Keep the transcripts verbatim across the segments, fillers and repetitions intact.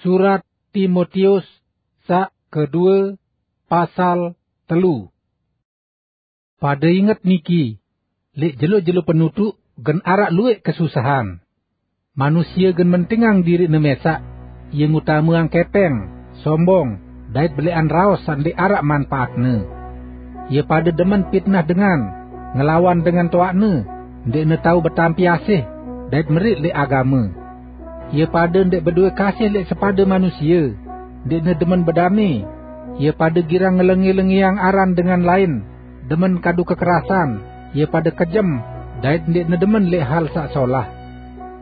Surat Timotius sak kedue, pasal telu. Pade inget niki, lek jelo-jelo penutuk gen arak luek kesusahan. Manusia gen mentingang dirine mesak, ia ngutameang kepeng, sombong, dait belekan raos sak ndeq arak manpaatne. Ia pade demen pitnah dengan, ngelawan dengan toakne, ndeqne tau betampi asih, dait merit lek agame. Ia pade ndeq bedoe kasih lek sepade manusia, ndeqne demen bedame. Ia pade girang ngelenge-lengeang aran dengan lain, demen kadu kekerasan, ia pade kejem, dait ndeqne demen lek hal sak solah.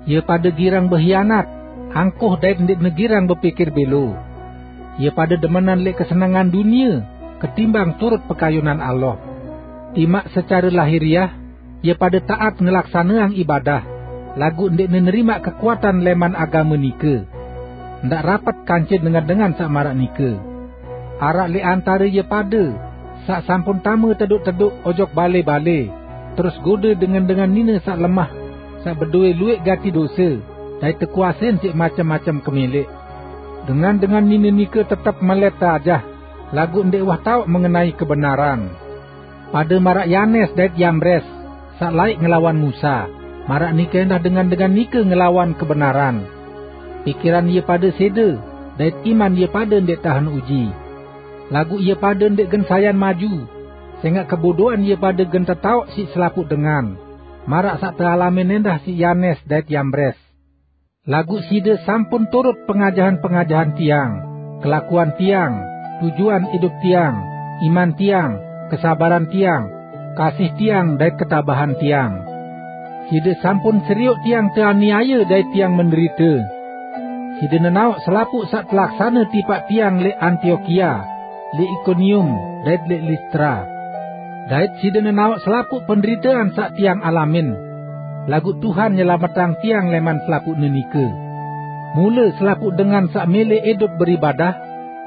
Ia pade girang behianat, angkuh dait ndeqne girang bepikir belo. Ia pade demenan lek kesenengan dunie ketimbang turut pekayunan Allah. Timaq secare lahiriah, ia pade taat ngelaksaneang ibadah, laguq ndeqne nerimaq kekuatan leman agame nike. Ndaq rapet kance dengan-dengan saq maraq nike. Araq leq antare ie pade saq sampun tame teduk-teduk ojok bale-bale, terus gode dengan-dengan nine saq lemah, saq bedoe lueq gati dose, dait tekuasein siq macem-macem kemeleq. Dengan-dengan nine nike tetep melet teajah, laguq ndeq uwah taoq mengenai kebenaran. Pade maraq Yanes dait Yambres, saq laeq ngelawan Musa, maraq nike endah dengan-dengan nike ngelawan kebenaran. Pikiran ie pade sede, dait iman ie pade ndeq tahen uji. Laguq ie pade ndeq gen sayan maju, sengaq kebodoan ie pade gen tetaoq siq selapuq dengan, maraq saq tealamin endah siq Yanes dait Yambres. Laguq side sampun turut pengajahan-pengajahan tiang, kelakuan tiang, tujuan idup tiang, iman tiang, kesabaran tiang, kasih tiang, dait ketabahan tiang. Side sampun serioq tiang teaniaye dait tiang menderite. Side nenaoq selapuq saq telaksane tipaq tiang leq Antiokia, leq Ikonium, dait leq Listra. Dait side nenaoq selapuq penderitean saq tiang alamin. Laguq Tuhan nyelametang tiang leman selapuqne nike. Mule selapuq dengan saq mele idup beribadah,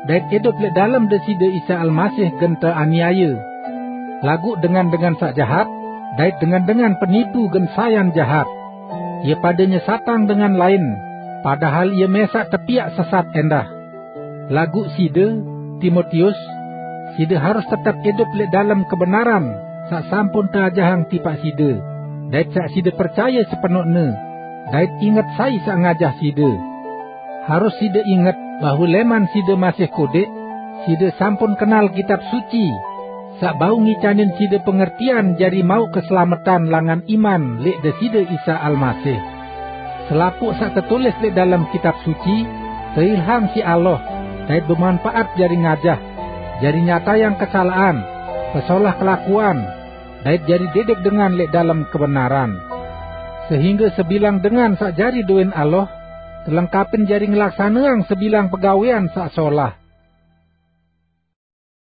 dait idup leq dalem Deside Isa Almasih gen teaniaye. Laguq dengan-dengan saq jahat, dait dengan-dengan penipu gen sayan jahat. Ie pade nyesatang dengan lain, padahal ie mesaq tepiaq sesat endah. Laguq side, Timotius, side harus tetep idup leq dalem kebenaran saq sampun teajahang tipaq side, dait saq side percaye sepenoqne, dait inget sai saq ngajah side. Harus side inget bahwe leman side masih kodeq, side sampun kenal Kitab Suci, saq bau ngicanin side pengertian jari mauq keselametan langan iman leq Deside Isa Almasih. Selapuq saq tetulis leq dalem Kitab Suci teilham siq Allah, dait bemanpaat jari ngajah, jari nyatayang kesalaqan, pesolah kelakuan, dait jari didik dengan leq dalem kebenaran. Sehingge sebilang dengan saq jari doin Allah, telengkapin jari ngelaksaneang sebilang pegawean saq solah.